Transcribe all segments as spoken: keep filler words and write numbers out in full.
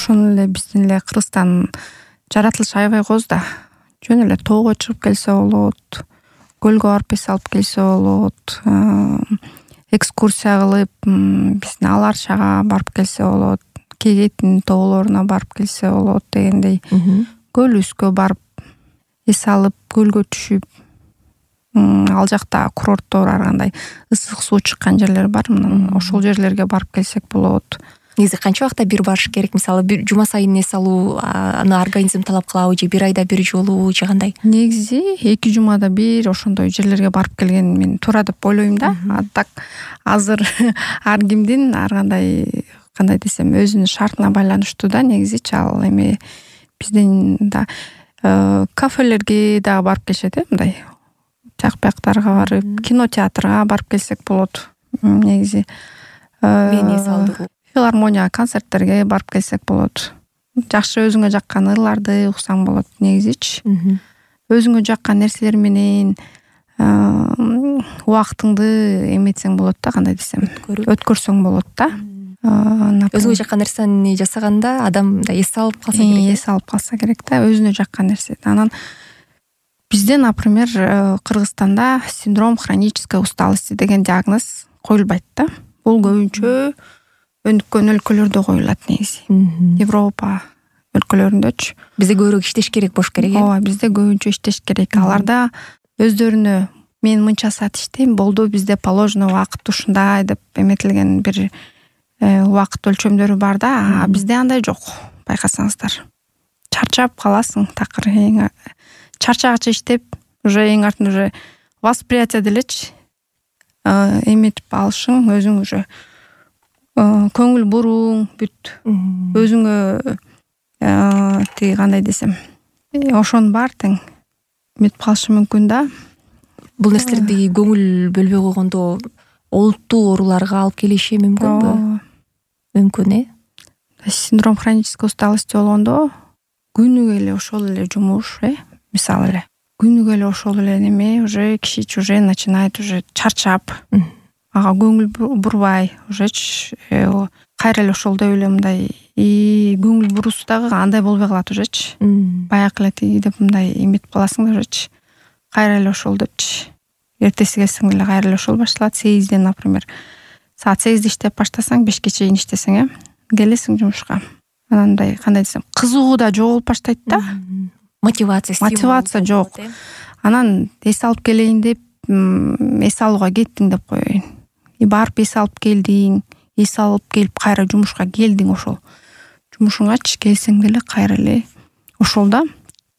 ошону эле биздин эле Кыргызстан жаратылышы аябай кооз да. Жөн эле тоого чыгып келсе болот, көлгө барып эс алып келсе болот, экскурсия кылып биздин Ала Арчага барып келсе болот, Кегеттин тоолоруна барып келсе болот дегендей. Көлүскө барып эс алып, көлгө түшүп, ал жакта курорттор ар кандай ысык суу чыккан жерлер бар. Мына ошол жерлерге барып келсек болот. Негизи канча убакта бир барыш керек? Мисалы, бир жума сайын эс алуу аны организм талап кылабы же бир айда бир жолу же кандай? Негизи эки жумада бир ошондой жерлерге барып келген мен туура деп ойлойм да. А так азыр ар кимдин ар кандай кандай десем өзүнүн шартына байланыштуу да. Негизичи ал эме биздин да кафелерге да барып келишет э, мындай жак бияктарга барып, кинотеатрга барып келсек болот. Негизи мени эс алдыруу, филармония концерттерге барып келсек болот. Жакшы өзүңө жаккан ырларды уксаң болот негизичи. Өзүңө жаккан нерселер менен убактыңды эметсең болот да, кандай десем, өткөрсөң болот да. Өзүңө жаккан нерсени жасаганда адам да эс алып калса керек. Эс алып калса керек да, өзүнө жаккан нерсе. Анан бизде, например, Кыргызстанда синдром хронической усталости деген диагноз коюлбайт да. Бул көбүнчө өнүккөн өлкөлөрдө коюлат негизи. Европа өлкөлөрүндөчү. Бизде көбүрөөк иштеш керек болуш керек э? Ооба, бизде көбүнчө иштеш керек. Аларда өздөрүнө мен мынча саат иштейм, болду, бизде положено убакыт ушундай деп эметилген бир убакыт өлчөмдөрү бар да. А бизде андай жок. Байкасаңыздар. Чарчап каласың, такыр эң чарчагача иштеп, уже эң артын уже восприятие делечи эметип алышың, өзүң уже көңүл буруң бүт. Өзүңө тиги кандай десем, ошонун баары тең эметип калышы мүмкүн да. Бул нерселерди көңүл бөлбөй койгондо олуттуу ооруларга алып келиши мүмкүнбү? Мүмкүн э? Синдром хронической усталости болгондо күнүгө эле ошол эле жумуш, э? Мисалы эле күнүгө эле ошол эле неме уже киши уже начинает уже чарчап, ага көңүл бурбай, ужечи кайра эле ошол деп эле мындай и көңүл буруусу дагы андай болбой калат ужечи. Баягы эле тиги деп мындай эметип каласың да ужечи. Кайра эле ошол депчи. Эртеси келсең эле кайра эле ошол башталат. сегизден, например, саат сегизде иштеп баштасаң, бешке чейин иштесең, э, келесиң жумушка. Анан мындай кандай десем, кызыгуу да жоголуп баштайт да. Мотивация, мотивация жок. Анан эс алып келейин деп, эс алууга кеттиң деп коеюн. И барып эс алып келдиң, эс алып келип кайра жумушка келдиң, ошол жумушуңачы келсең деле кайра эле ошол да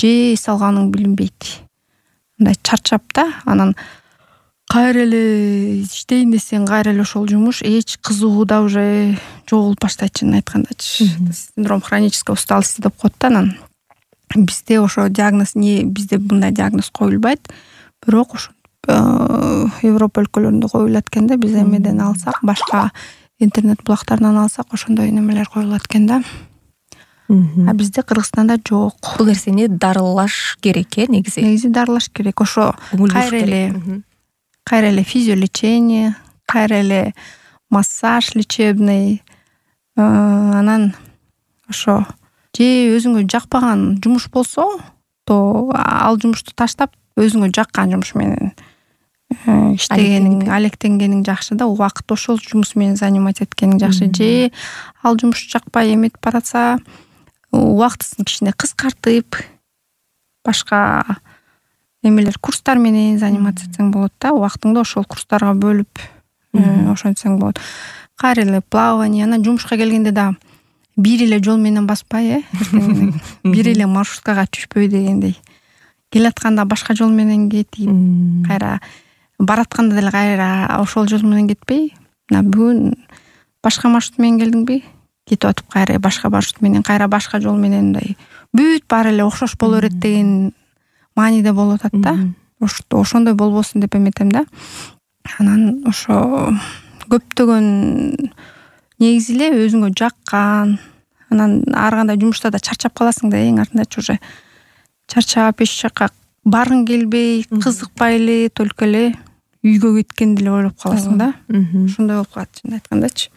же эс алганың билинбейт. Мындай чарчап да, анан кайра эле иштейин десең кайра эле ошол жумуш, эч кызыгуу да уже жоголуп баштайт, чынын айткандачы. Синдром хронической усталости деп коет да. Анан бизде ошо диагноз не, бизде мындай диагноз коюлбайт, бирок ошо Европа өлкөлөрүндө коюлат экен да. Биз эмеден алсак, башка интернет булактарынан алсак ошондой немелер коюлат экен да. А бизде Кыргызстанда жок. Бул нерсени дарылаш керек э, негизи. Негизи дарылаш керек. Ошо кайра эле кайра эле физиолечение, кайра эле массаж лечебный, анан ошо же өзүңө жакпаган жумуш болсо, то ал жумушту таштап өзүңө жаккан жумуш менен иштегениң, алектенгениң жакшы да. Убакыт ошол жумуш менен занимать эткениң жакшы. Же ал жумуш жакпай эметип баратса, убактысын кичине кыскартып, башка эмелер курстар менен заниматься этсең болот да. Убактыңды ошол курстарга бөлүп ошентсең болот. Кайра эле плавание, анан жумушка келгенде да бир эле жол менен баспай, э, бир эле маршруткага түшпөй дегендей. Келатканда башка жол менен кетип, кайра баратканда деле кайра ошол жол менен кетпей, мына бүгүн башка маршрут менен келдиңби, кетип атып кайра башка маршрут менен, кайра башка жол менен, мындай бүт баары эле окшош боло берет деген мааниде болуп атат да. Ошондой болбосун деп эметем да. Анан ошо көптөгөн негизи эле өзүңө жаккан, анан ар кандай жумушта да чарчап каласың да, эң артындачы уже чарчап эч жакка баргың келбей, кызыкпай эле, только эле үйгө кеткенди эле ойлоп каласың да. Ошондой болуп калат, чынын айткандачы.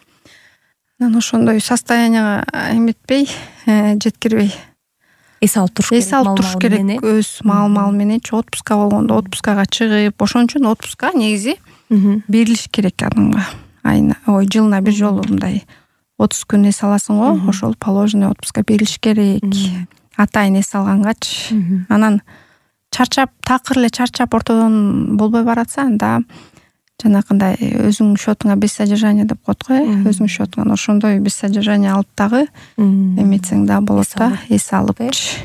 анан ошондой состоянияга эметпей, жеткирбей эс алып туруш керек. эс алып туруш керек өз маал-маал мененчи. Отпуска болгондо отпускага чыгып, ошон үчүн отпуска негизи берилиш керек адамга. Айына, ой, жылына бир жолу мындай отуз күн эс аласың го, ошол положенный отпуска берилиш керек. Атайын эс алгангачы. Анан чарчап, такыр эле чарчап ортодон болбой баратса, анда жанакындай өзүң счетуңа без содержания деп коет го, өзүң счетуңан ошондой без содержания алып дагы эметсең да болот да, эс алыпчы.